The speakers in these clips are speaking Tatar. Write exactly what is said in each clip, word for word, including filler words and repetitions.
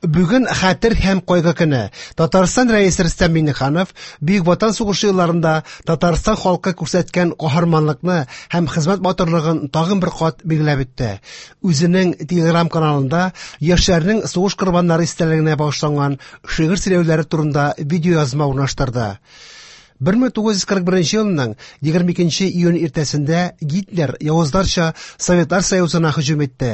Бүген хәтер һәм кайгы көне. Татарстан Рәисе Рөстәм Миңнеханов Бөек Ватан сугышы елларында Татарстан халкы күрсәткән каһарманлыкны һәм хезмәт батырлыгын тагын бер кат билгеләп үтте. Үзенең Телеграм каналында яшьләрнең сугыш корбаннары истәлегенә багышланган шигырь сөйләүләре турында видеоязма урнаштырды. бер мең тугыз йөз кырык беренче елның егерме икенче июнь иртәсендә Гитлер явызларча Советлар Союзына һөҗүм итте.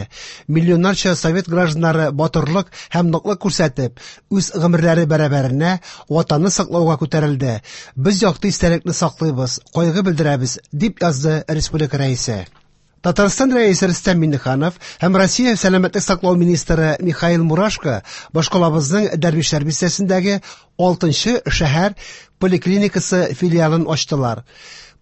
Миллионнарча совет гражданнары батырлык һәм ныклык күрсәтеп, үз гомерләре бәрабәренә ватанны саклауга күтәрелде. Без якты истәлекне саклыйбыз, кайгы белдерәбез, дип язды республика рәисе. Татарстан Рәисе Рөстәм Миңнеханов һәм Россия сәламәтлек саклау министры Михаил Мурашко башкалабызның Дәрвишләр бистәсендәге алтынчы шәһәр поликлиникасы филиалын ачтылар.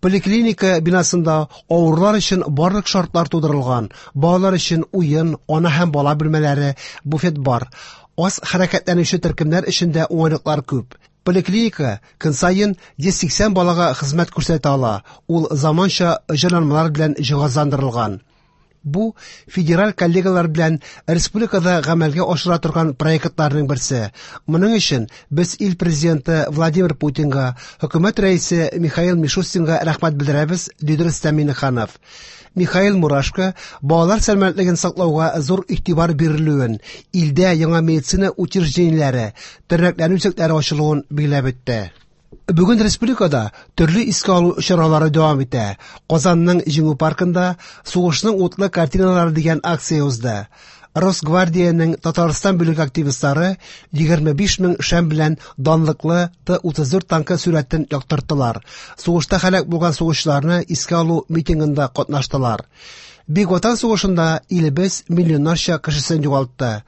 Поликлиника бинасында авырулар өчен барлык шартлар тудырылган. Балалар өчен уен, ана һәм бала бүлмәләре, буфет бар. Аз хәрәкәтләнүче төркемнәр өчен дә уңайлыклар күп. Поликлиника көн саен йөз сиксән балага хезмәт күрсәтә ала. Ул заманча җайланмалар белән җиһазландырылган. Бу федераль коллегалар белән республикада гамәлгә ашыра торган проектларның берсе. Моның өчен без ил президенты Владимир Путинга, хөкүмәт рәисе Михаил Мишустинга рәхмәт белдерәбез, диде Рөстәм Миңнеханов. Михаил Мурашко балалар сәламәтлеген саклауга зур игътибар бирелүен, илдә яңа медицина учреждениеләре, тернәкләнү үзәкләре ачылуын билгеләп үтте. Бүген республикада төрле искә алу чаралары дәвам итә. Казанның Җиңү паркында Сугышның утлы картиналары дигән акция узды. Росгвардиянең Татарстан бүлеге активистлары егерме биш мең шәм белән данлыклы Т утыз дүрт танкы сурәтен яктырттылар. Сугышта һәлак булган сугышчыларны искә алу митингында катнаштылар. Бөек Ватан сугышында илебез миллионнарча кешесен югалтты.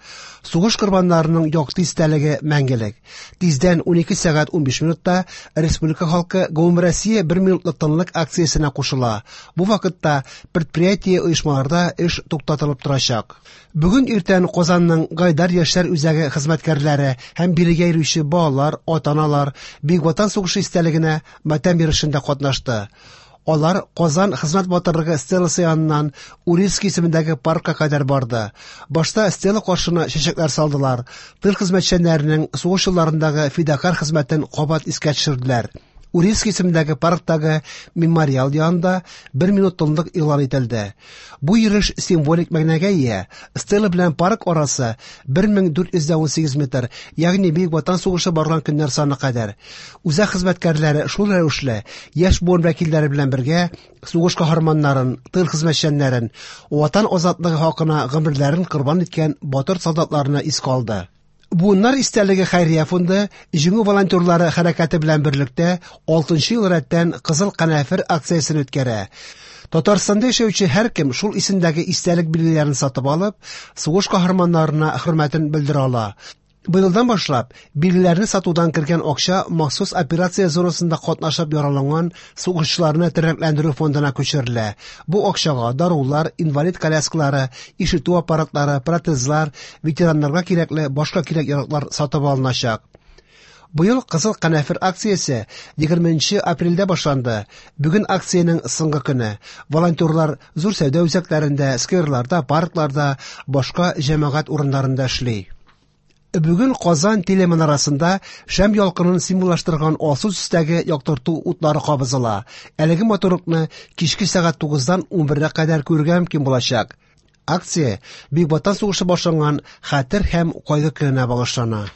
Сугыш корбаннарының якты истәлеге мәңгелек. Тиздән унике сәгать унбиш минутта республика халкы Гомумроссия бер минутлык тынлык акциясенә кушыла. Бу вакытта предприятие оешмаларда эш туктатылып торачак. Бүген иртән Казанның Гайдар яшьләр үзәге хезмәткәрләре һәм бирегә йөрүче балалар, ата-аналар Бөек Ватан сугышы истәлегенә матәм йөрешендә катнашты. Алар Казан хезмәт батырлыгы стеласы яныннан Урицкий исемендәге паркка кадәр барды. Башта стела каршына чәчәкләр салдылар. Тыл хезмәтчәннәренең сугыш елларындагы фидакарь хезмәтен кабат искә төшерделәр. Урицкий исемендәге парктагы мемориал янында бер минут тынлык игълан ителде. Бу йөреш символик мәгънәгә ия. Стела белән парк арасы бер мең дүрт йөз дә унсигез метр, ягъни Бөек Ватан сугышы барган көннәр саны кадәр. Үзәк хезмәткәрләре шул рәвешле яшь буын вәкилләре белән бергә сугыш каһарманнарын, тыл хезмәтчәннәрен, Ватан азатлыгы хакына гомерләрен корбан иткән батыр солдатларны искә алды. Буыннар истәлеге хәйрия фонды Җиңү волонтерлары хәрәкәте белән берлектә алтынчы ел рәттән Кызыл канәфер акциясен үткәрә. Татарстанда яшәүче һәркем шул исемдәге истәлек билгеләрен сатып алып, сугыш каһарманнарына хөрмәтен белдерә ала. Быелдан башлап, билгеләрне сатудан кергән акча махсус операция зонасында катнашып яраланган сугышчыларны тернәкләндерү фондына күчерелә. Бу акчага дарулар, инвалид коляскалары, ишетү аппаратлары, протезлар, ветераннарга кирәкле башка кирәк-яраклар сатып алыначак. Быел Кызыл канәфер акциясе егерменче апрельдә башланды. Бүген акциянең соңгы көне. Волонтерлар зур сәүдә үзәкләрендә, скверларда, паркларда, башка җәмәгать урыннарында эшли. Бүген Казан телеманарасында шәм ялкынын символлаштырган алсу төстәге яктырту утлары кабызыла. Әлеге матурлыкны кичке сәгать тугыздан унбергә кадәр күрергә мөмкин булачак. Акция Бөек Ватан сугышы башланган хәтер һәм кайгы көненә багышлана.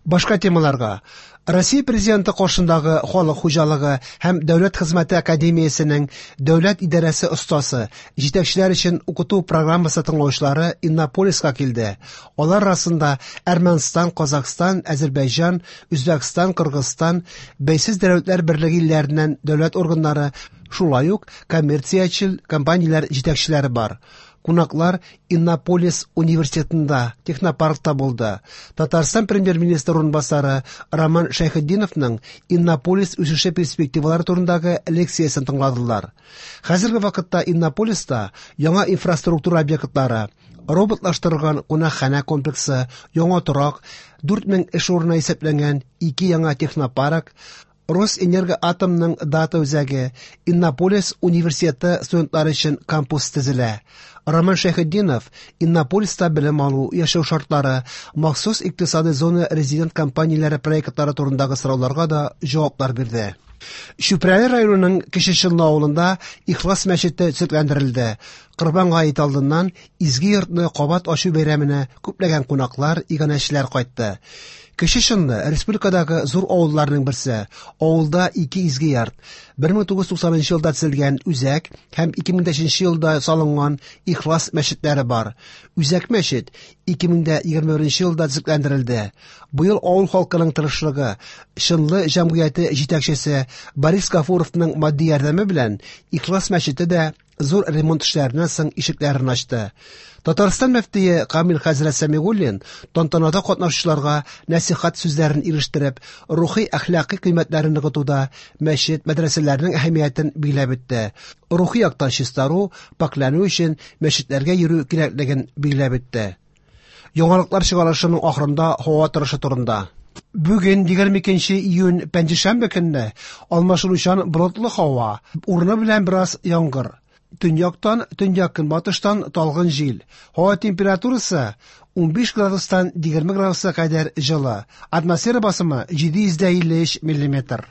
Башка темаларга. Россия президенты каршындагы Халык хуҗалыгы һәм Дәүләт хезмәте академиясенең дәүләт идарәсе остасы, җитәкчеләр өчен укыту программасы тыңлаучылары Иннополиска килде. Алар арасында Әрмәнстан, Казахстан, Әзербайҗан, Үзбәкстан, Кыргызстан, Бәйсез дәүләтләр берлеге илләреннән дәүләт органнары, шулай ук коммерциячел компанияләр җитәкчеләре бар. Кунаклар Иннополис университетында, технопаркта булды. Татарстан премьер-министры урынбасары Роман Шәйхетдиновның Иннополис үсеше перспективалары турындагы лекциясен тыңладылар. Хәзерге вакытта Иннополиста яңа инфраструктура объектлары, роботлаштырылган кунакханә комплексы, яңа торак, дүрт мең эш урыны исәпләнгән ике яңа технопарк, Росэнергоатомның дата үзәге, Иннополис университеты студентлары өчен кампус төзелә. Роман Шәйхетдинов Иннополиста белем алу, яшәү шартлары, махсус икътисадый зона резидент компанияләре проектлары турындагы сорауларга да җаваплар бирде. Чүпрәле районының Кече Чынлы авылында Ихлас мәчете төзекләндерелде. Корбан гаете алдыннан изге йортны кабат ачу бәйрәменә күпләгән кунаклар, иганәчеләр кайтты. Кече Чынлы республикадагы зур авылларның берсе. Авылда ике изге йорт. бер мең тугыз йөз туксанынчы елда төзелгән Үзәк һәм ике мең өченче елда салынган Ихлас мәчетләре бар. Үзәк мәчет ике мең егерме беренче елда төзекләндерелде. Быел авыл халкының тырышлыгы, Чынлы җәмгыяте җитәкчесе Борис Гафуровның матди ярдәме белән Ихлас мәчете дә зур ремонт эшләреннән соң ишекләрен ачты. Татарстан мөфтие Камил хәзрәт Сәмигуллин тантанада катнашучыларга нәсихәт сүзләрен ирештереп, рухи әхлакый кыйммәтләрен ныгытуда мәчет, мәдрәсәләрнең әһәмиятен билгеләп үтте. Рухи яктан чистару, пакьләнү өчен мәчетләргә йөрү кирәклеген билгеләп үтте. Яңалыклар чыгарылышының ахырында һава торышы турында. Бүген егерме икенче июнь пәнҗешәмбе көнне алмашынучан болытлы һава, урыны белән бераз яңгыр. Төньяктан, төньяк-көнбатыштан талгын җил. Һава температурасы унбиш градустан егерме градуска кадәр җылы. Атмосфера басымы җиде йөз дә илле өч миллиметр.